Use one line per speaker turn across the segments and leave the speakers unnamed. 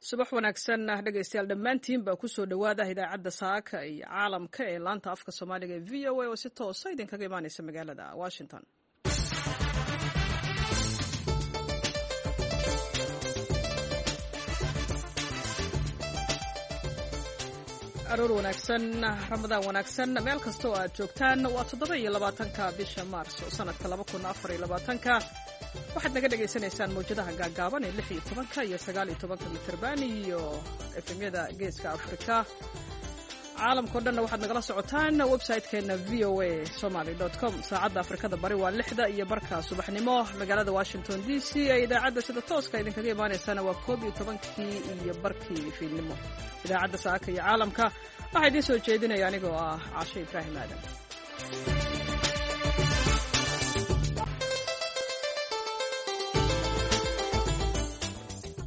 Subax wanaagsan dhegaystayaal dhammaantiin baa kusoo dhowaada idaacadda saaka iyo caalamka ee laanta afka Soomaaliga ee VOA oo si toosa idinkaga imaaneysa magaalada Washington. Aroor wanaagsan, Ramadaan wanaagsan, meel kasta oo aad joogtaan. Waa 27-ka bisha Maarso sanadka 2024-ka. Waxaad naga dhagaysanaysaan mawjadaha gaagaaban ee 16-ka iyo 19-ka mitirban iyo FM-yada Geeska Afrika. Caalamka o dhanna waxaad nagala socotaan website-keena voasomali.com. Saacadda Afrikada Bari waa 6:30 subaxnimo. Magaalada Washington DC ee idaacadda sida tooska idinkaga imaaneysana waa 11:30 fiidnimo. Idaacadda saaka iyo caalamka waxaa idiin soo jeedinaya anigoo ah Caashe Ibraahim Aadan.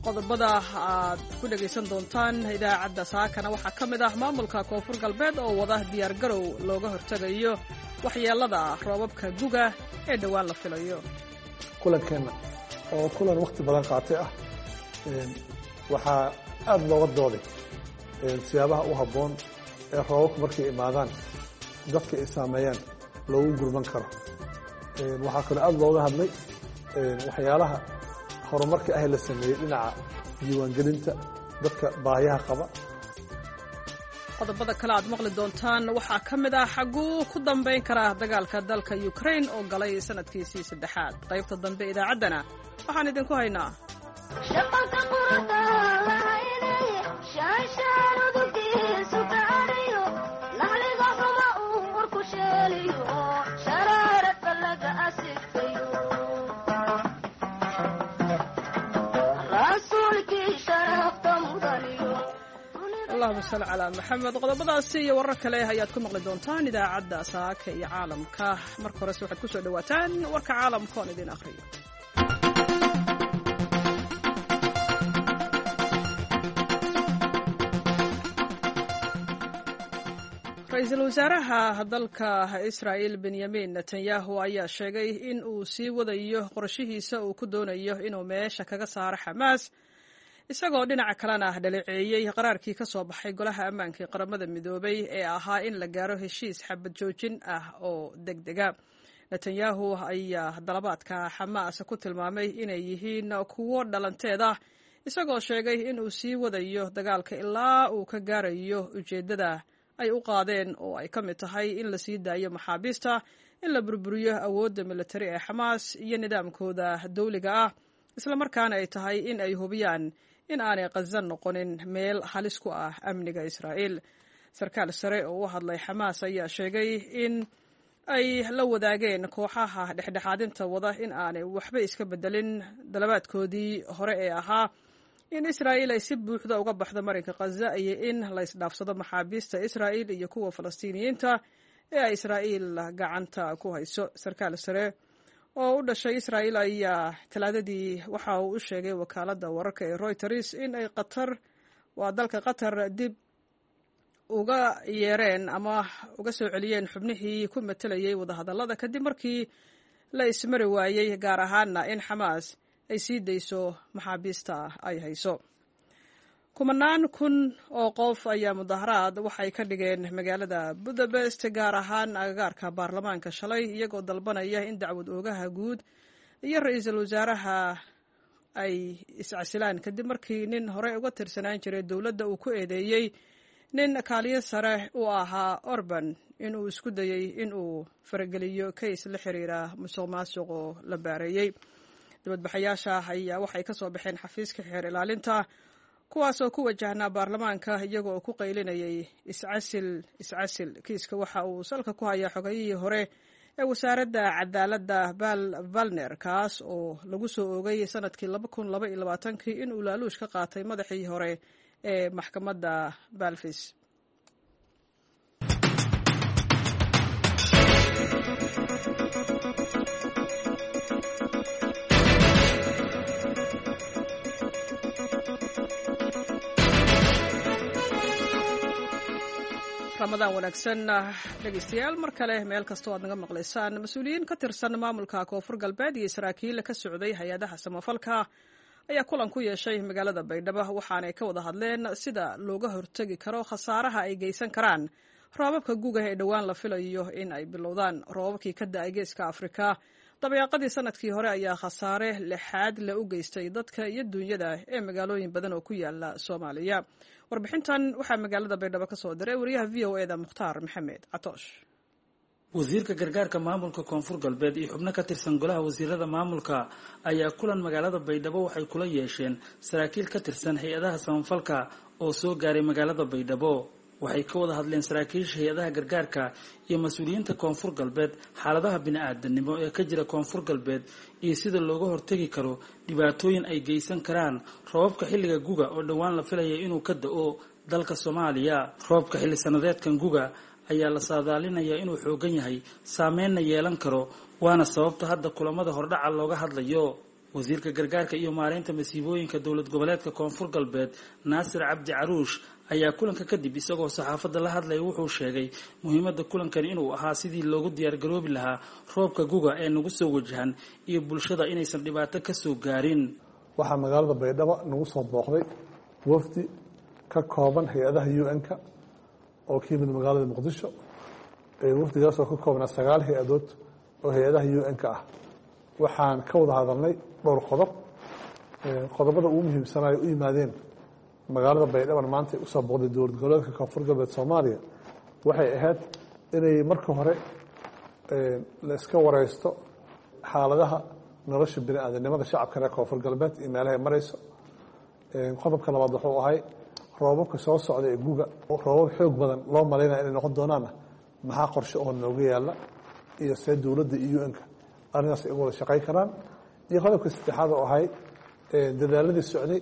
Qodobada aad ku dhegaysan doontaan idaacadda saakana waxaa ka mid ah maamulka Koonfur Galbeed oo wada diyaargarow looga hortegayo waxyeelada roobabka guga ee dhowaan la filayo.
Kulankeenna oo kulan wakhti badan qaatay ah waxaa aada looga dooday siyaabaha u habboon ee roobabku markay imaadaan dadka ay saameeyaan loogu gurman karo. Waxaa kaloo aada looga hadlay waxyaalaha horumarka ah la sameeyey dhinaca diiwaangelinta dadka baahiyaha qaba.
Qodobada kale aad maqli doontaan waxaa ka mid ah xaguu ku dambayn karaa dagaalka dalka Ukraine oo galay sanadkiisii saddexaad? Qaybta dambe idaacaddana waxaan idinku haynaa: Allahuma salli calaa Maxamed. Qodobadaasi iyo warar kale ayaad ku maqli doontaan idaacadda saaka iyo caalamka. Marka horese waxaad ku soo dhowaataan warka caalamka oon idin akhriyo. Ra-iisul wasaaraha dalka Israa'il Benyamin Netanyahu ayaa sheegay in uu sii wadayo qorshihiisa uu ku doonayo inuu meesha kaga saaro Xamaas, isagoo dhinaca kalena dhaleeceeyey qaraarkii ka soo baxay Golaha Ammaanka ee Qaramada Midoobay ee ahaa in la gaaro heshiis xabad joojin ah oo deg dega. Netanyahu ayaa dalabaadka Xamaas ku tilmaamay inay yihiin kuwo dhalanteed ah, isagoo sheegay in uu sii wadayo dagaalka ilaa uu ka gaarayo ujeeddada ay u qaadeen, oo ay ka mid tahay in la sii daayo maxaabiista, in la burburiyo awoodda militari ee Xamaas iyo nidaamkooda dawliga ah, islamarkaana ay tahay in ay hubiyaan in aanay Khaza noqonin meel halis ku ah amniga Israa'iil. Sarkaal sare oo u hadlay Xamaas ayaa sheegay in ay la wadaageen kooxaha dhexdhexaadinta wada in aanay waxba iska bedelin dalabaadkoodii hore ee ahaa in Israa'iil ay si buuxda uga baxdo marinka Khaza iyo in la isdhaafsado maxaabiista Israa'iil iyo kuwa Falastiiniyiinta ee ay Israa'iil gacanta ku hayso. Sarkaal sare oo u dhashay Israa'iil ayaa Talaadadii waxa uu u sheegay wakaaladda wararka ee Reuters in ay Qatar, waa dalka Qatar, dib uga yeereen ama uga soo celiyeen xubnihii ku matelayay wadahadallada kadib markii la ismari waayey, gaar ahaana in Xamaas ay sii dayso maxaabiista ay hayso. Kumanaan kun oo qof ayaa mudaharaad waxay ka dhigeen magaalada Budapest, gaar ahaan agagaarka baarlamaanka shalay, iyagoo dalbanaya in dacwad oogaha guud iyo ra-iisul wasaaraha ay iscasilaan kadib markii nin horey uga tirsanaan jiray dowladda uu ku eedeeyey nin kaaliyo sare u ahaa Orban inuu isku dayey inuu farageliyo kays la xiriira musuq maasuq oo la baareeyey. Dibadbaxayaasha ayaa waxay ka soo baxeen xafiiska xeer ilaalinta, kuwaasoo ku wajahnaa baarlamaanka, iyaga oo ku qaylinayay "Iscasil, iscasil." Kiiska waxa uu salka ku hayaa xogayihii hore ee wasaaradda cadaaladda Bal Valner, kaas oo lagu soo oogay sanadkii 2022-kii inuu laaluush ka qaatay madaxii hore ee maxkamadda Balfis. Ramadaan wanaagsan dhegeystayaal mar kale, meel kastoo aad naga maqlaysaan. Mas-uuliyiin ka tirsan maamulka Koonfur Galbeed iyo saraakiil ka socday hay-adaha samafalka ayaa kulan ku yeeshay magaalada Baydhabo, waxaanay ka wada hadleen sida looga hortegi karo khasaaraha ay geysan karaan roobabka guga ee dhowaan la filayo in ay bilowdaan. Roobabkii ka da-ay Geeska Afrika dabeeqadii sanadkii hore ayaa khasaare lixaad le u geystay dadka iyo duunyada ee magaalooyin badan oo ku yaala Soomaaliya. Warbixintan waxaa magaalada Baydhabo ka soo diray wariyaha v o eda Mukhtaar Maxamed Catoosh.
Wasiirka gargaarka maamulka Koonfur Galbeed iyo xubno ka tirsan golaha wasiirada maamulka ayaa kulan magaalada Baydhabo waxay kula yeesheen saraakiil ka tirsan hay-adaha samafalka oo soo gaaray magaalada Baydhabo. Waxay ka wada hadleen saraakiisha hay-adaha gargaarka iyo mas-uuliyiinta Koonfur Galbeed xaaladaha bini-aadanimo ee ka jira Koonfur Galbeed iyo sida looga hortegi karo dhibaatooyin ay geysan karaan roobabka xilliga guga oo dhowaan la filaya inuu ka da-o dalka Soomaaliya. Roobka xilli sanadeedkan guga ayaa la saadaalinayaa inuu xoogan yahay, saameynna yeelan karo, waana sababta hadda kulamada hordhaca looga hadlayo. Wasiirka gargaarka iyo maareynta masiibooyinka dowlad goboleedka Koonfur Galbeed, Naasir Cabdi Caruush, ayaa kulanka kadib isagoo saxaafadda la hadlaya wuxuu sheegay muhiimadda kulankani inuu ahaa sidii loogu diyaargaroobi lahaa roobka guga ee nagu soo wajahan iyo bulshada inaysan dhibaato ka soo gaarin.
Waxaa magaalada Baydhabo nagu soo booqday wafdi ka kooban hay-adaha UN-ka oo ka yimid magaalada Muqdisho. Wafdigaasoo ka koobnaa 9 hay-adood oo hay-adaha UN-ka ah. Waxaan ka wada hadalnay dhowr qodob. Qodobada ugu muhiimsanayo u yimaadeen magaalada Baydhaban maanta usoo booqday dowlad goboleedka Koonfur Galbeed Soomaaliya waxay ahayd inay marka hore la iska wareysto xaaladaha nolosha bini-aadanimada shacabka reer Koonfur Galbeed iyo meelahay marayso. Qodobka labaad wuxuu ahay roobabka soo socda ee guga, roobab xoog badan loo malaynaya inay noqon doonaana, maxaa qorshe oo nooga yaala iyo see dowladda iyo UN-ka arrintaas ay uga wada shaqayn karaan. Iyo qodobka saddexaad oo ahay dadaaladii socday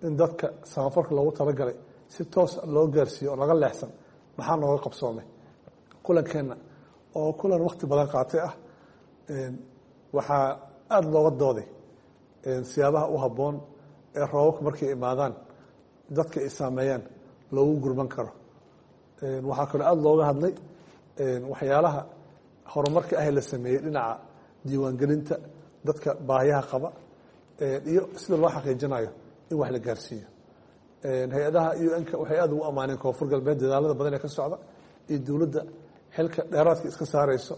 in dadka samafalka loogu talagalay si toos loo gaarsiiyo oo laga leexsan, maxaa nooga qabsoomay. Kulankeenna oo kulan wakhti badan qaatay ah waxaa aada looga dooday siyaabaha u habboon ee roobabka markay imaadaan dadka ay saameeyaan loogu gurman karo. Waxaa kaloo aada looga hadlay waxyaalaha horumarka ah la sameeyey dhinaca diiwaangelinta dadka baahiyaha qaba iyo sida loo xaqiijinayo in wax la gaarsiiyo. Hay-adaha UN-ka waxay aada ugu ammaaneen Koonfur Galbeed dadaalada badan ee ka socda iyo dowladda xilka dheeraadka iska saareyso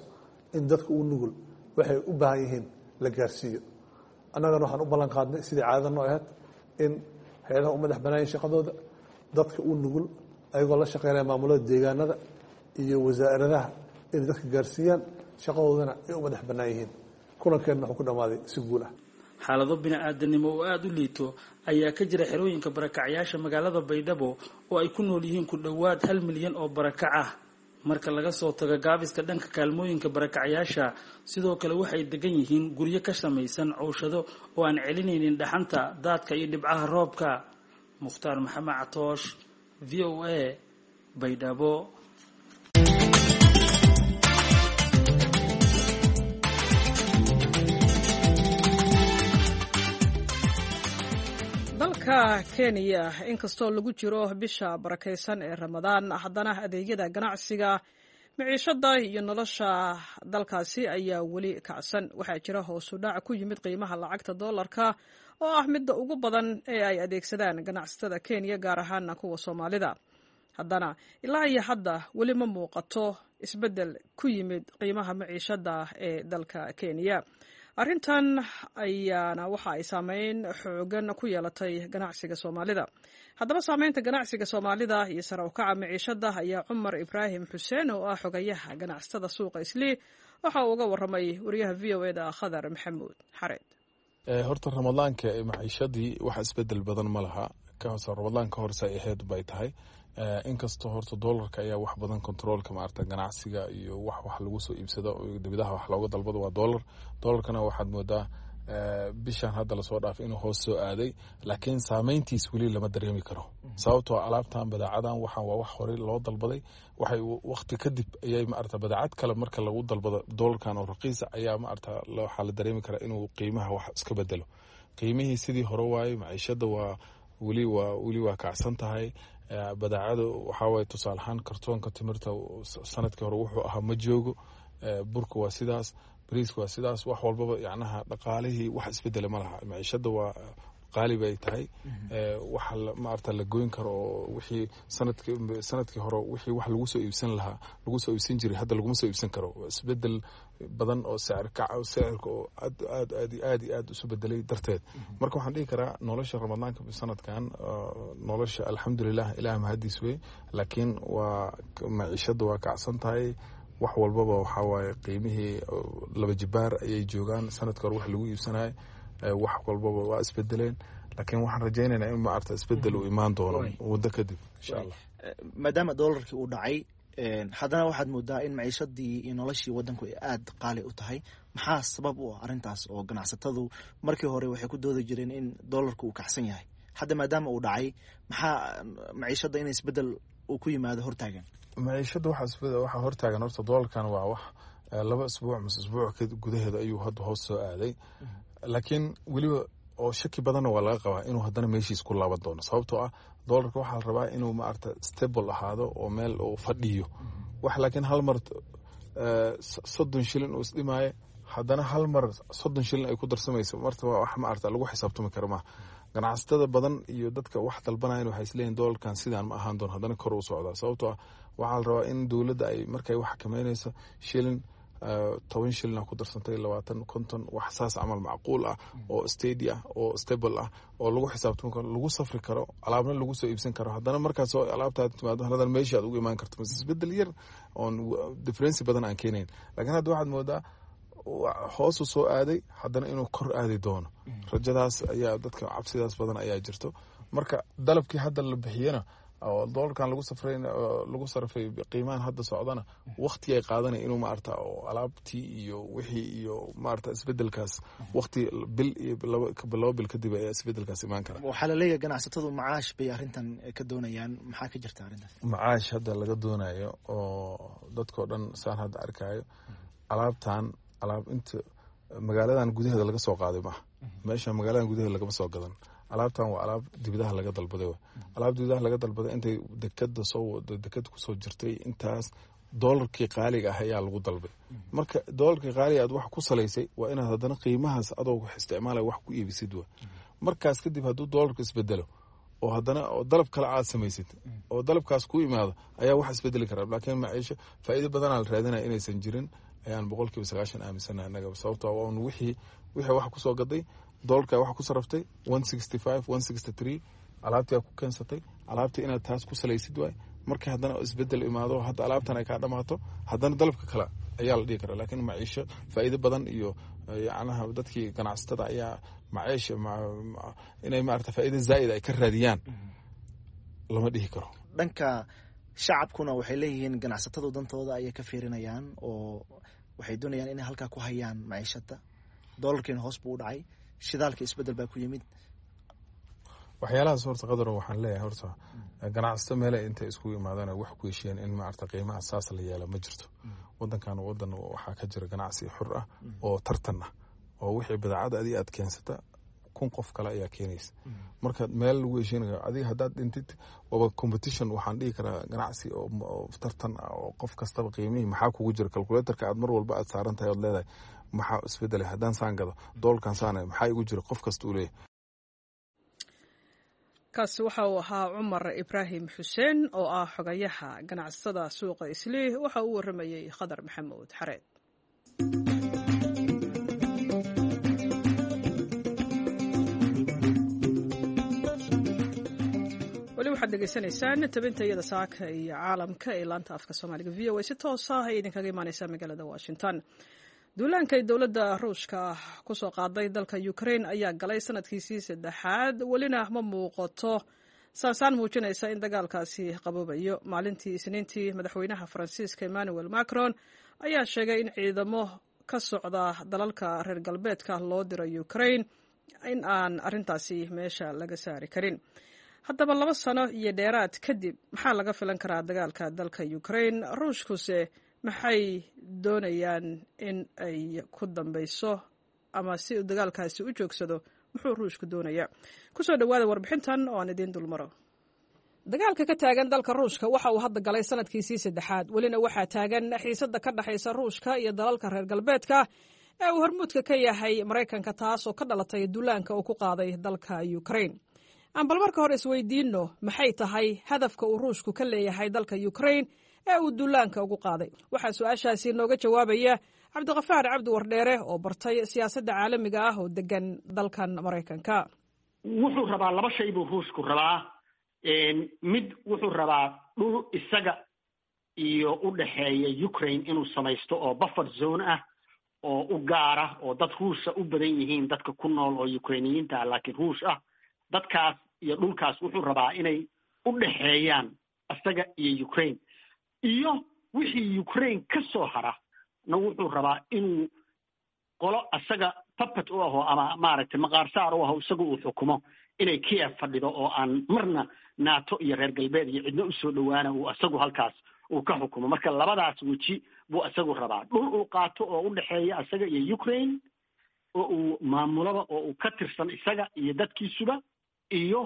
in dadka u nugul waxay u baahan yihiin la gaarsiiyo. Annagana waxaan u ballan qaadnay sidii caadada noo ahayd in hay-adaha u madax banaayin shaqadooda dadka u nugul ayagoo la shaqeynaya maamulada deegaanada iyo wasaaradaha inay dadka gaarsiiyaan, shaqadoodana ay u madax bannaan yihiin. Kulankeenna wuxuu ku dhammaaday si guul ah.
Xaalado bini-aadanimo oo aada u liito ayaa ka jira xerooyinka barakacyaasha magaalada Baydhabo oo ay ku nool yihiin ku dhowaad 1 milyan oo barakac ah. Marka laga soo tago gaabiska dhanka kaalmooyinka barakacyaasha, sidoo kale waxay degan yihiin guryo ka samaysan cowshado oo aan celinaynin dhaxanta, daadka iyo dhibcaha roobka. Mukhtaar Maxamed Catoosh, v o a, Baydhabo.
Dalka Kenya, inkastoo lagu jiro bisha barakaysan ee Ramadaan, haddana adeegyada ganacsiga, miciishada iyo nolosha dalkaasi ayaa weli kacsan. Waxaa jira hoosu dhac ku yimid qiimaha lacagta doolarka oo ah midda ugu badan ee ay adeegsadaan ganacsatada Kenya, gaar ahaana kuwa Soomaalida. Haddana ilaa iyo hadda weli ma muuqato isbeddel ku yimid qiimaha maciishada ee dalka Kenya. Arrintan ayaana waxa ay saameyn xoogan ku yeelatay ganacsiga Soomaalida. Haddaba saameynta ganacsiga Soomaalida iyo sare ukaca maciishada ayaa Cumar Ibraahim Xuseen oo ah xogayaha ganacsatada suuqa Islii waxa uu uga waramay wariyaha v o eda Khadar Maxamuud Xareed.
Horta ramadaanka maciishadii wax isbedel badan ma laha. Ramadaanka horse ay ahayd bay tahay. Inkastoo horta doolarka ayaa wax badan controolka maarata ganacsiga iyo wax lagu soo iibsado, dibadaha wax looga dalbado waa doolar. Doolarkana waxaad moodaa bishan hadda lasoo dhaafay inuu hoos soo aaday, laakiin saameyntiis weli lama dareemi karo, sababtoo alaabtan badaacadan waxaan waa wax horey loo dalbaday. Waxay waqti kadib ayay maarata badaacad kale marka lagu dalbado doolarkan oo raqiisa ayaa maarata waxaa la dareemi karaa inuu qiimaha wax iska bedelo. Qiimihii sidii hore waaye. Maciishada waa weli waa kacsan tahay. Badaacadu waxaa waye, tusaale ahaan, kartoonka timirta sanadkii hore wuxuu ahaa ma joogo. Burka waa sidaas, bariiska waa sidaas, wax walbaba yacnaha dhaqaalihii wax isbedela ma laha. Maciishada waa Qaali bay tahay. Waxa maarata la goyn karo oo wixii sanadkii hore wixii wax lagu soo iibsan lahaa, lagu soo iibsan jiray, hadda laguma soo iibsan karo. Isbedel badan oo sicir kac, sicirka oo aad aad aad aad iyo aad isu bedelay darteed. Marka waxaan dhihi karaa nolosha Ramadaanka sanadkan, nolosha alxamdulilah, Ilaah mahadiis wey, laakiin waa maciishada waa kacsan tahay. Wax walbaba waxaa waaye qiimihii laba jibaar ayay joogaan sanadka hore wax lagu iibsanayo. Wax walbaba waa isbedeleen, laakiin waxaan rajaynaynaa in maarata isbedel uu imaan doono muddo kadib, insha Allah.
Maadaama doolarkii uu dhacay, haddana waxaad moodaa in maciishadii iyo noloshii wadanku ay aada qaali u tahay. Maxaa sabab u ah arrintaas? Oo ganacsatadu markii hore waxay ku doodi jireen in doolarku uu kacsan yahay. Hadda maadaama uu dhacay, maxaa maciishadda in isbedel uu ku yimaado hortaagan?
Maciishadda waxaa hortaagan horta doolarkan waa wax 2 isbuuc mise isbuuc gudaheeda ayuu hadda hoos soo aaday, laakiin weliba oo shaki badanna waa laga qabaa inuu haddana meeshiis ku laaban doono, sababtoo ah doolarka waxaa la rabaa inuu maarata stable ahaado oo meel uu fadhiyo wax. Laakiin hal mar 30 shilin uu isdhimaayo, haddana hal mar 30 shilin ay ku darsamayso, marta waa wax maarata lagu xisaabtami karo maaha. Ganacsatada badan iyo dadka wax dalbanayan waxay isleeyihin doolarkan sidaan ma ahaan doono, haddana kor u socdaa, sababtoo ah waxaa la rabaa in dowladda ay markay wax xakameynayso shilin, 10 shilina ku darsantay, 20, 50, wax saas camal macquul ah oo steady ah oo stable ah oo lagu xisaabtami karo, lagu safri karo, alaabna lagu soo iibsan karo. Haddana markaas oo alaabtaad timaado, haddana meeshii aad ugu imaan karto mase isbedel yar oon difference badan aan keenayn. Laakiin hadda waxaad moodaa hoosu soo aaday, haddana inuu kor aadi doono rajadaas ayaa dadka cabsidaas badan ayaa jirto. Marka dalabkii hadda la bixiyana oo doolarkan lagu safray, lagu sarfay qiimahan hadda socdana, waqti ay qaadanay inuu maarata oo alaabtii iyo wixii iyo maarata isbedelkaas, waqti bil iyo 2 bil kadib ayaa isbedelkaas imaan kara.
Waxaa la leeyahay ganacsatadu macaash bay arrintan ka doonayaan. Maxaa ka jirta arrintaas?
Macaash hadda laga doonayo oo dadkao dhan saan hadda arkayo, alaabtan alaab inta magaaladan gudaheeda laga soo qaaday maaha. Meesha magaaladan gudaheeda lagama soo gadan. Alaabtan waa alaab dibadaha laga dalbaday. Alaab dibadaha laga dalbaday intay dekada soo dekada kusoo jirtay, intaas doolarkii qaaliga ah ayaa lagu dalbay. Marka doolarkii qaaliga aad wax ku salaysay, waa inaad haddana qiimahaas adoo wax isticmaalaya wax ku iibisid. Wa markaas kadib hadduu doolarku isbedelo oo haddana oo dalab kale aad samaysid oo dalabkaas ku imaado, ayaa wax isbedeli karaa. Laakiin maciisho faa'iido badanaa la raadinaya inaysan jirin ayaan 90% aaminsanahay annaga, sababtoo ah wixii wax kusoo gaday doolarka wax ku saraftay 165, 163, alaabtii aad ku keensatay, alaabtii inaad taas ku salaysid waay. Marka haddana isbedel imaado, hadda alaabtan ay kaa dhamaato, haddana dalabka kale ayaa la dhihi karaa. Laakiin maciisho faa'iido badan iyo yacnaha dadkii ganacsatada ayaa maciisha inay maarata faa'iido zaa'id ay ka raadiyaan lama dhihi karo.
Dhanka shacabkuna waxay leeyihiin ganacsatadu dantooda ayay ka fiirinayaan oo waxay doonayaan inay halkaa ku hayaan maciishada. Doolarkiina hoos buu u dhacay, shidaalka isbedel baa ku yimid.
Waxyaalahaas horta qadaro waxaan leeyahay, horta ganacsato meele intay iskugu imaadaan wax ku heshiiyeen in maarata qiimaha saas la yeela ma jirto. Wadankan wadan waxaa ka jira ganacsi xur ah oo tartan ah, oo wixii badeecada adiga aad keensata 1000 qof kale ayaa keenaysa. Marka meel lagu heshiinayo adiga haddaad dhintid waaba competition. Waxaan dhihi karaa ganacsi oo tartan ah oo qof kastaba qiimihii maxaa kugu jira calculatorka aad mar walba aad saaran tahay ood leedahay maxaa isbedelay haddaan saan gado doolkan saanay, maxaa igu jira, qof kasta uu leeyahay.
Kaasi waxa uu ahaa Cumar Ibraahim Xuseen oo ah xogayaha ganacsatada suuqa Islii. Waxa uu warramayey Khadar Maxamuud Xareed. Weli waxaad dhegeysanaysaan tabinta iyada saaka iyo caalamka ee laanta afka Soomaaliga VOA, si toos ah ay idinkaga imaaneysaa magaalada Washington. Duulaanka ay dowladda Ruushka ku soo qaaday dalka Ukraine ayaa galay sanadkiisii saddexaad, welina ma muuqato saasaan muujinaysa in dagaalkaasi qaboobayo. Maalintii Isniintii, madaxweynaha Faransiiska Emmanuel Macron ayaa sheegay in ciidamo ka socda dalalka reer galbeedka loo diro Ukraine in aan arrintaasi meesha laga saari karin. Haddaba 2 sano iyo dheeraad kadib, maxaa laga filan karaa dagaalka dalka Ukraine? Ruushkuse maxay doonayaan in ay ku dambeyso, ama si uu dagaalkaasi u joogsado muxuu Ruushku doonayaa? Kusoo dhowaada warbixintan oo aan idiin dulmaro. Dagaalka ka taagan dalka Ruushka waxa uu hadda galay sanadkiisii saddexaad, welina waxaa taagan xiisadda ka dhexaysa Ruushka iyo dalalka reer galbeedka ee uu hormuudka ka yahay Maraykanka, taasoo ka dhalatay duulaanka uu ku qaaday dalka Ukrain. Aan bal marka hore isweydiinno, maxay tahay hadafka uu Ruushku ka leeyahay dalka Ukrain ee uu duulaanka ugu qaaday? Waxaa su-aashaasi nooga jawaabaya Cabdiqafaar Cabdi Wardheere oo bartay siyaasadda caalamiga ah oo degan dalkan Maraykanka.
Wuxuu rabaa laba shay buu Ruushku rabaa. Mid wuxuu rabaa dhul isaga iyo u dhexeeya Ukraine inuu samaysto oo buffer zone ah oo u gaara, oo dad Ruusha u badan yihiin dadka ku nool oo Ukrainiyiinta ah, laakiin Ruush ah. Dadkaas iyo dhulkaas wuxuu rabaa inay u dhexeeyaan isaga iyo Ukraine, iyo wixii Ukraine ka soo hara na wuxuu rabaa inuu qolo isaga puppet u aho ama maaragtay maqaarsaar u aho, isaga uu xukumo, inay Kiev fadhido oo aan marna NATO iyo reer galbeed iyo cidna usoo dhowaana, uu isagu halkaas uu ka xukumo. Marka labadaas weji buu isagu rabaa: dhul uu qaato oo u dhexeeya isaga iyo Ukraine oo uu maamulaba oo uu ka tirsan isaga iyo dadkiisuba, iyo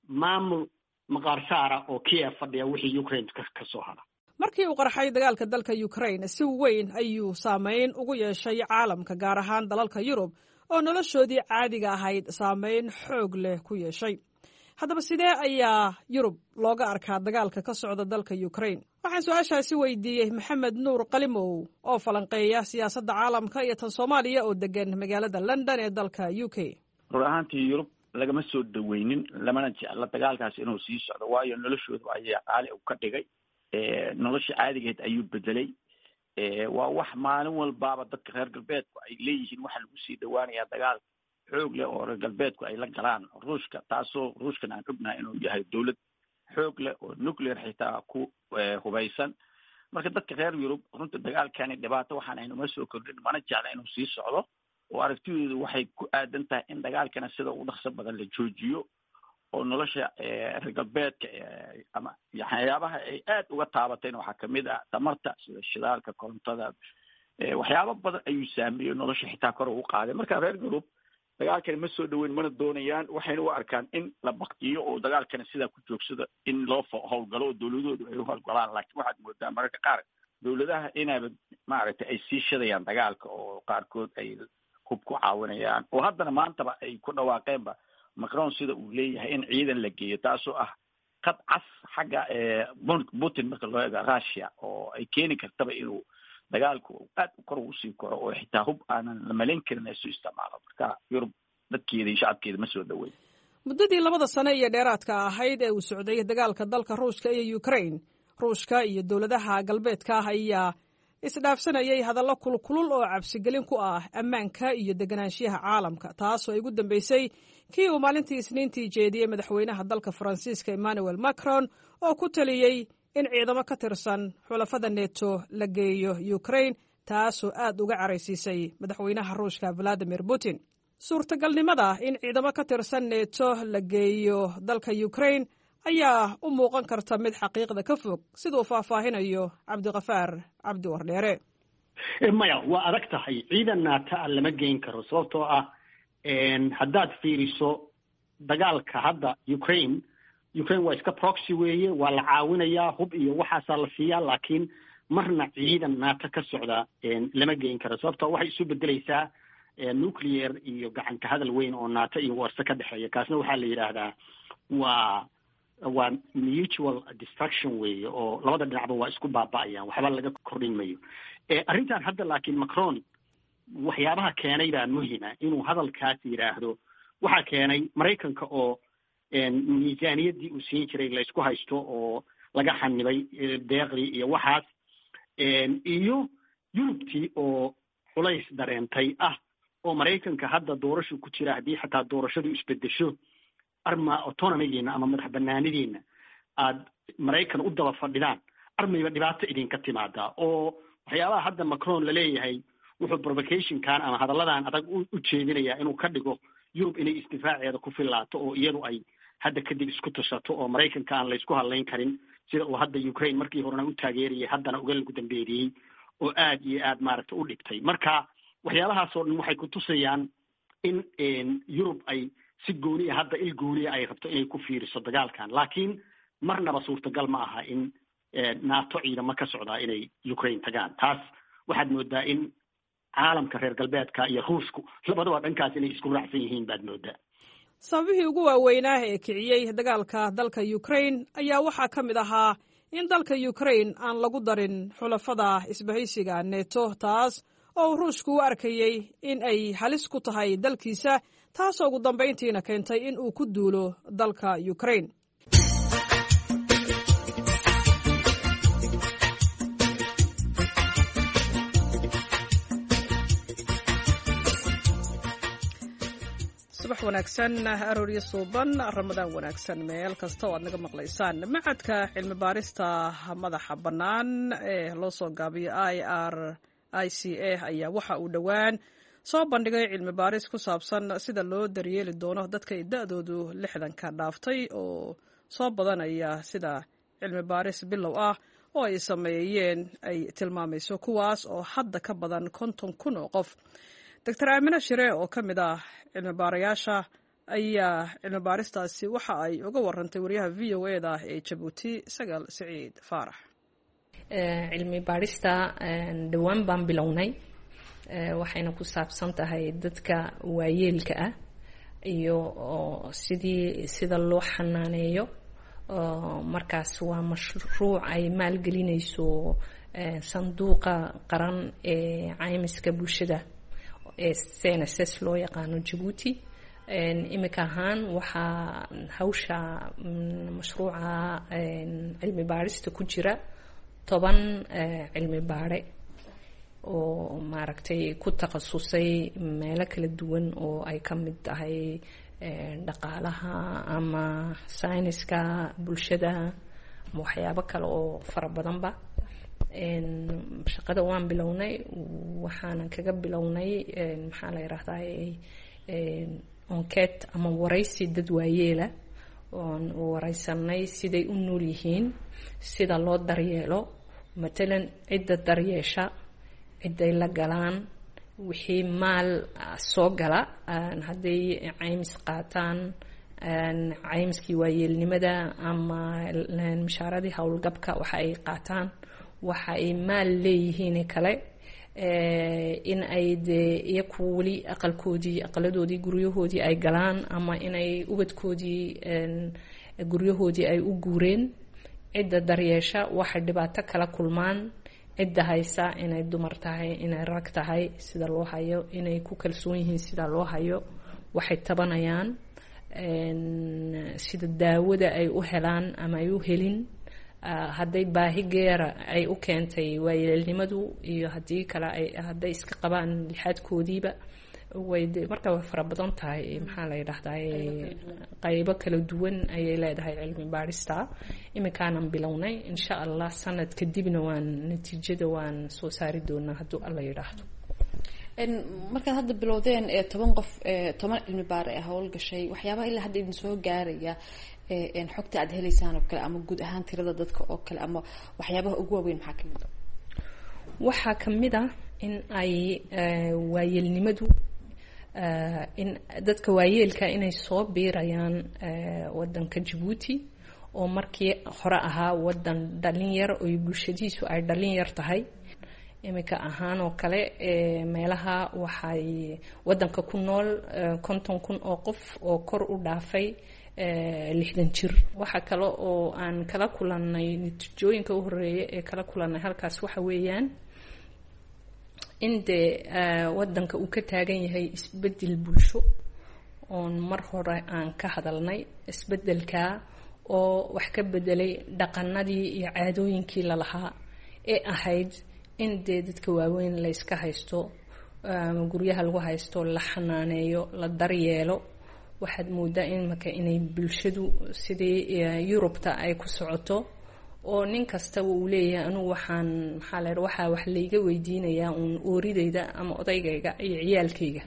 maamul maqaarsaara oo Kiev fadhiya wixii Ukraine ka soo hara.
Markii uu qarxay dagaalka dalka Ukraine, si weyn ayuu saameyn ugu yeeshay caalamka, gaar ahaan dalalka Yurub oo noloshoodii caadiga ahayd saameyn xoog leh ku yeeshay. Haddaba sidee ayaa Yurub looga arkaa dagaalka ka socda dalka Ukraine? Waxaan su-aashaasi weydiiyey Maxamed Nuur Qalimow oo falanqeeya siyaasadda caalamka iyo tan Soomaaliya oo degan magaalada London ee dalka UK.
Rur ahaantii Yurub lagama soo dhaweynin, lamana jecla dagaalkaas inuu sii socdo, waayo noloshooda ayaa qaali u ka dhigay, nolosha caadigeed ayuu bedelay. Waa wax maalin walbaaba dadka reer galbeedku ay leeyihiin waxaa lagu sii dhawaanayaa dagaal xoog leh oo reer galbeedku ay la galaan Ruushka, taasoo Ruushkan aan ognahay inuu yahay dowlad xoog leh oo nuclear xitaa ku hubaysan. Marka dadka reer Yurub runta dagaalkani dhibaato waxaan aynuma soo kordhin, mana jecla inuu sii socdo, oo aragtidoodu waxay ku aadan tahay in dagaalkana sida ugu dhaqso badan la joojiyo oo nolosha reer galbeedka ama waxyaabaha ay aad uga taabatayna waxaa kamid ah tamarta, sida shidaalka, korontada, waxyaabo badan ayuu saameeyey, nolosha xitaa kor ugu qaaday. Marka reer Yurub dagaalkani ma soo dhaweyn, mana doonayaan, waxayna u arkaan in la baktiyo oo dagaalkana sidaa ku joogsada in loo howlgalo oo dowladoodu ay u howlgalaan. Laakiin waxaad moodaa mararka qaar dowladaha inaaba maaragtay ay sii shidayaan dagaalka oo qaarkood ay hub ku caawinayaan, oo haddana maantaba ay ku dhawaaqeenba Macron sida uu leeyahay in ciidan la geeyo, taasoo ah qad cas xagga Putin marka loo eego Russia, oo ay keeni kartaba inuu dagaalku aad kor ugu sii koro oo xitaa hub aanan la malayn karin ay soo isticmaalo. Marka Yurub dadkeeda iyo shacabkeeda ma soo dhaweyn.
Muddadii 2da sane iyo dheeraadka ahayd ee uu socday dagaalka dalka Ruushka iyo Ukraine, Ruushka iyo dowladaha galbeedka ah ayaa isdhaafsanayay hadallo kulkulul oo cabsigelin ku ah ammaanka iyo deganaanshiyaha caalamka, taasoo ay ugu dambeysay kii uu maalintii Isniintii jeediyey madaxweynaha dalka Faransiiska Emmanuel Macron oo ku taliyey in ciidamo ka tirsan xulafada Neto la geeyo Ukraine, taasoo aad uga caraysiisay madaxweynaha Ruushka Valadimir Putin. Suurtagalnimada in ciidamo ka tirsan Neto la geeyo dalka Ukraine ayaa u muuqan karta mid xaqiiqda ka fog, siduu faahfaahinayo Cabdiqafaar Cabdi Wardheere.
Maya, waa adag tahay, ciidan NATO a lama geyn karo, sababtoo ah haddaad fiiriso dagaalka hadda Ukraine, Ukraine waa iska proxy weeye, waa la caawinayaa, hub iyo waxaasaa la siiyaa, laakiin marna ciidan NATO ka socda lama geyn karo, sababtoo waxay isu bedelaysaa nuclear iyo gacanka hadal weyn oo NATO iyo warse ka dhexeeya. Kaasna waxaa la yidhaahdaa waa mutual destruction weeye, oo labada dhinacba waa isku baaba'ayaan, waxba laga kordhin mayo arrintan hadda. Laakiin Macron waxyaabaha keenay baa muhima inuu hadalkaas yidhaahdo. Waxaa keenay Maraykanka oo miisaaniyaddii uu siin jiray laysku haysto oo laga xanibay deeqdii iyo waxaas, iyo Yurubtii oo culays dareentay ah oo Maraykanka hadda doorashu ku jira, haddii xataa doorashadu isbedesho arma autonomigiina ama madax banaanidiina aad Maraykan u daba fadhidaan, armayba dhibaato idinka timaadaa. Oo waxyaabaha hadda Macron laleeyahay wuxuu provocationkan ama hadalladan adag u jeedinayaa inuu ka dhigo Yurub inay isdifaaceeda ku filaato oo iyadu ay hadda kadib isku tashato oo Maraykanka aan laysku hadlayn karin, sida uu hadda Ukraine markii horena u taageerayay, haddana uga lagu dambeeriyey oo aad iyo aad maaragta u dhibtay. Marka waxyaabahaas oo dhan waxay ku tusayaan in Yurub ay si gooniya hadda il gooniya ay rabto inay ku fiiriso dagaalkan, laakiin marnaba suurtagal ma aha in NATO ciidamo ka socdaa inay Ukraine tagaan. Taas waxaad moodaa in Caalamka reer galbeedka iyo Ruushku labadaba dhankaas inay isku raacsan yihiin baad moodaa.
Sababihii ugu waaweynaa ee kiciyey dagaalka dalka Ukraine ayaa waxaa ka mid ahaa in dalka Ukraine aan lagu darin xulafada isbahaysiga Neto, taas oo uu Ruushku u arkayey in ay halis ku tahay dalkiisa, taasoo ugu dambayntiina keentay in uu ku duulo dalka Ukraine. Subax wanaagsan, arooryo suuban, Ramadaan wanaagsan meel kasta oo aad naga maqlaysaan. Macadka cilmi baarista madaxa bannaan ee loo soo gaabiyo IRICA ayaa waxa uu dhowaan soo bandhigay cilmi baaris ku saabsan sida loo daryeeli doono dadka ay da-doodu 60-ka dhaaftay oo soo badanaya, sida cilmi baaris bilow ah oo ay sameeyeen ay tilmaamayso, kuwaas oo hadda ka badan 50,000 oo qof. Doctor Aamine Shire oo ka mid ah cilmi baarayaasha ayaa cilmi baaristaasi waxa ay uga warantay wariyaha VOA-da ee Jabuuti, Sagal Siciid Faarax.
Cilmi baarista dhowaan baan bilownay, waxayna ku saabsan tahay dadka waayeelka ah iyo sidii sida loo xanaaneeyo. Markaas waa mashruuc ay maalgelinayso sanduuqa qaran ee caymiska bulshada ee CNSS loo yaqaano Jabuuti. Imika ahaan waxaa hawsha mashruuca cilmi baarista ku jira 10 cilmi baare oo maaragtay ku takhasusay meelo kala duwan oo ay ka mid tahay dhaqaalaha ama sayniska bulshada ama waxyaabo kale oo fara badanba. Shaqada waan bilownay, waxaanan kaga bilownay, maxaa la yidhaahdaa, enquête ama waraysi dad waayeela oon wareysanay siday u nool yihiin, sida loo daryeelo, matalan cidda daryeesha, ciday la galaan, wixii maal soo gala, hadday caymis qaataan, caymiskii waayeelnimada ama mishaaradii howlgabka waxa ay qaataan, waxa ay maal leeyihiin kale, in ay dee iyaku weli aqalkoodii, aqaladoodii, guryahoodii ay galaan ama inay ubadkoodii guryahoodii ay u guureen, cidda daryeesha, waxay dhibaato kala kulmaan, cidda haysa, inay dumar tahay, inay rag tahay, sida loo hayo, inay ku kalsoon yihiin sida loo hayo, waxay tabanayaan, sida daawada ay u helaan ama ay u helin, hadday baahi geera ay u keentay waayeelnimadu iyo haddii kale ay hadday iska qabaan lixaadkoodiiba. Way marka way fara badan tahay, maxaa la yidhaahdaa, qaybo kala duwan ayay leedahay cilmi baarista. Iminkaanan bilownay, insha Allah sanad kadibna waan natiijada waan soo saari doonaa hadduu Alla yidhaahdo.
Markaad hadda bilowdeen ee 10 qof, 10 cilmi baar ee howlgashay, waxyaabaha ilaa hadda idin soo gaaraya, xogta aad heleysaan oo kale ama guud ahaan tirada dadka oo kale ama waxyaabaha ugu waaweyn, maxaa kamid ah?
Waxaa kamid ah in ay waayeelnimadu, in dadka waayeelka inay soo biirayaan wadanka Jabuuti oo markii hore ahaa wadan dhalinyar oo bulshadiisu ay dhalinyar tahay. Iminka ahaan oo kale meelaha waxay wadanka ku nool 50,000 oo qof oo kor u dhaafay 60 jir. Waxa kale oo aan kala kulanay, natiijooyinka u horeeya ee kala kulanay halkaas waxa weeyaan in dee wadanka uu ka taagan yahay isbedel bulsho oon mar hore aan ka hadalnay, isbedelka oo wax ka bedelay dhaqanadii iyo caadooyinkii lalahaa ee ahayd in dee dadka waaweyn la yska haysto, guryaha lagu haysto, la xanaaneeyo, la daryeelo. Waxaad moodaa imaka inay bulshadu sidii Yurubta ay ku socoto oo nin kastaba uu leeyahay anugu waxaan, maxaa la, waxaa wax layga weydiinayaa uun ooridayda ama odaygayga iyo ciyaalkayga,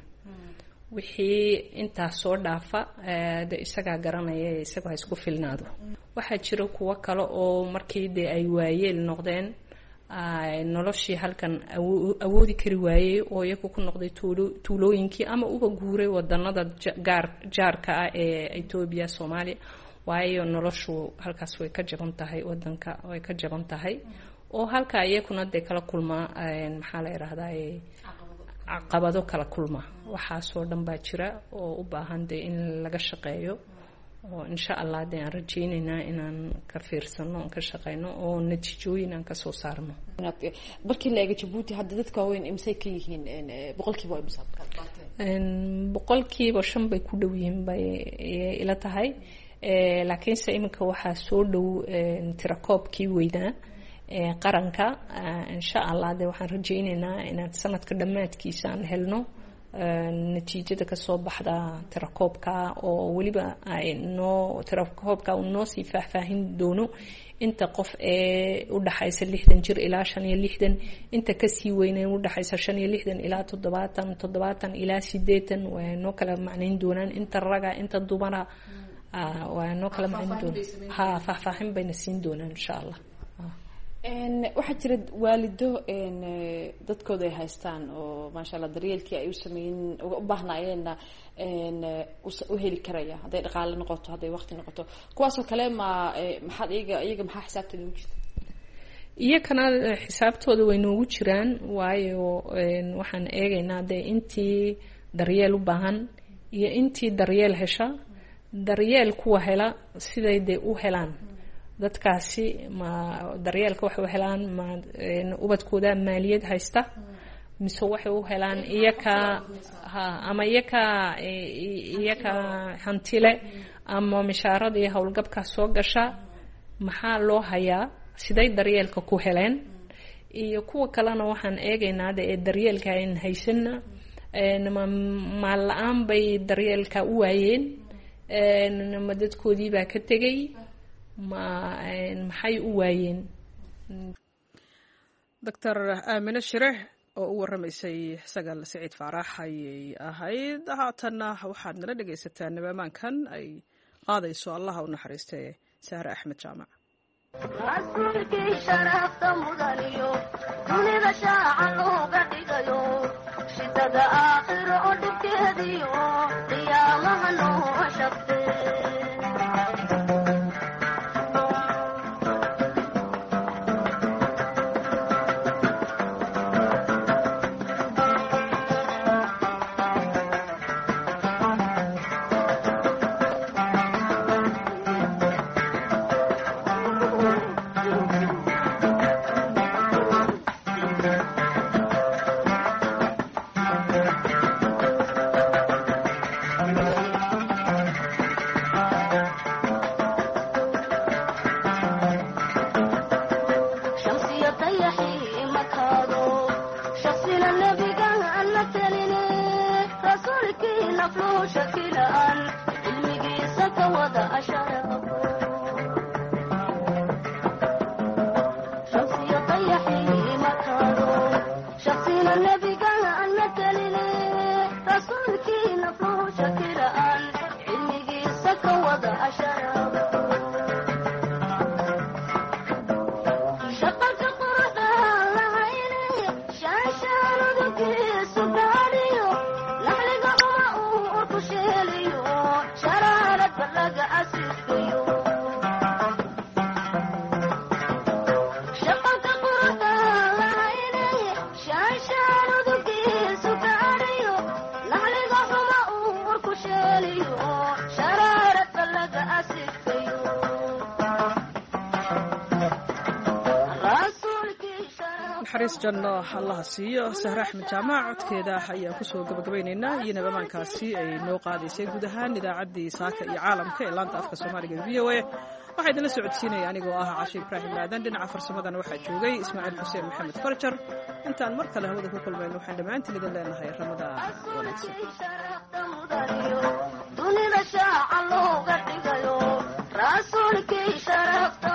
wixii intaas soo dhaafa de isagaa garanaya, isagoo ha isku filnaado. Waxaa jira kuwo kale oo markii dee ay waayeel noqdeen noloshii halkan awoodi kari waayey oo iyagu ku noqday tuulooyinkii ama uba guuray wadanada gaar jaarka ah ee Etoobiya, Soomaaliya, waayo noloshu halkaas way ka jaban tahay, wadanka way ka jaban tahay, oo halkaa iyakuna dee kala kulmaa, maxaa la yidhaahdaa, Caqabado kala kulma, waxaasoo dhan baa jira oo u baahan dee in laga shaqeeyo, oo insha Allah dee aan rajeyneynaa inaan ka fiirsano, aan ka shaqeyno oo natiijooyin aan kasoo saarno.
Markii la eego Jabuuti hadda, dadka waaweyn imisay ka yihiin boqolkiiba? Waa imisa?
5% bay ku dhow yihiin bay ila tahay, laakiinse iminka waxaa soo dhow tirakoobkii weynaa qaranka. Insha Allah de waxaan rajeyneynaa inaan sanadka dhammaadkiisa aan helno natiijada kasoo baxda tirakoobka, oo weliba ay noo tirakoobka uu noo sii faahfaahin doono inta qof ee udhaxaysa 60 jir ilaa 65, inta kasii weyne udhaxaysa 65 ilaa 70, 70 ilaa 80. Waa noo kala macnayn doonaan inta raga, inta dumara, waa noo kala macnayn doonaan. Ha, faahfaahin bayna siin doonaan insha Allah.
Waxaa jira waalido dadkooda ay haystaan oo maasha Allah daryeelkii ay u sameyn uga u baahnaayeenna u heli karaya, hadday dhaqaale noqoto, hadday waqti noqoto. Kuwaasoo kale ma maxaad iyaga maxaa xisaabteeda ugu jirta?
Iyakana xisaabtooda way noogu jiraan, waayo waxaan eegaynaa dee intii daryeel u baahan iyo intii daryeel hesha. Daryeel kuwa hela siday dee u helaan dadkaasi, ma daryeelka waxay u helaan ma ubadkooda maaliyad haysta, mise waxay u helaan iyaka ha, ama iyaka hantile, ama mishaaradii howlgabka soo gasha, maxaa loo hayaa, siday daryeelka ku heleen? Iyo kuwa kalena waxaan eegaynaa de ee daryeelka ayn haysana, ma maal la-aan bay daryeelka u waayeen, ma dadkoodii baa ka tegay, ma maxay u waayeen?
Doctor Aamine Shire oo u warramaysay Sagal Siciid Faarax ayay ahayd. Haatanna waxaad nala dhegaysataa nimaamaankan ay qaadayso Allaha u naxariistee Sahre Axmed Jaamac.
Rasuulkii sharafta mudaniyo dunida shaaca looga dhigayo, shidada aakhiro oo dhibkeediyo qiyaamaha noo shaqte. Shamsiya dayaxii makaado, shaksina nebiga aan la teline, rasuulkii nafluhu shakilaan cilmigiisa ka wada asharabo. Shamsiya dayaxii makaado, shaksina nebiga aan la teline, rasuulkii nafluhu shakilaan cilmigiisa ka wada asharabo. Shaqalka quruxda lahayne shaashaanadugiisu gaadhiyo, naxliga xuma uu urku sheeliyo, sharaarad balaga asiiskayo. Shaqalka quruxda lahayne shaashaanadugiisu gaadhiyo, naxliga xuma uu urku sheeliyo, sharaarad balaga asiiskayo. Rasuulkii sharaf
Naxariis janno Allaha siiyo Sahre Axmed Jaamac. Codkeeda ayaan kusoo gabagabaynaynaa iyo nabamaankaasi ay noo qaadaysay guud ahaan idaacaddii saaka iyo caalamka ee laanta afka Soomaaliga e VOA. Waxaa idinla socodsiinaya anigoo ah Cashe Ibraahim Aadan. Dhinaca farsamadana waxaa joogay Ismaaciil Xuseen Maxamed Farjar. Intaan mar kale hawada ku kulmayno, waxaan dhammaantiin idin leenahay Ramadaan wanaagsan.
Sharafta mudaniyo dunida shaaca looga dhigayo, rasuulkii sharafta.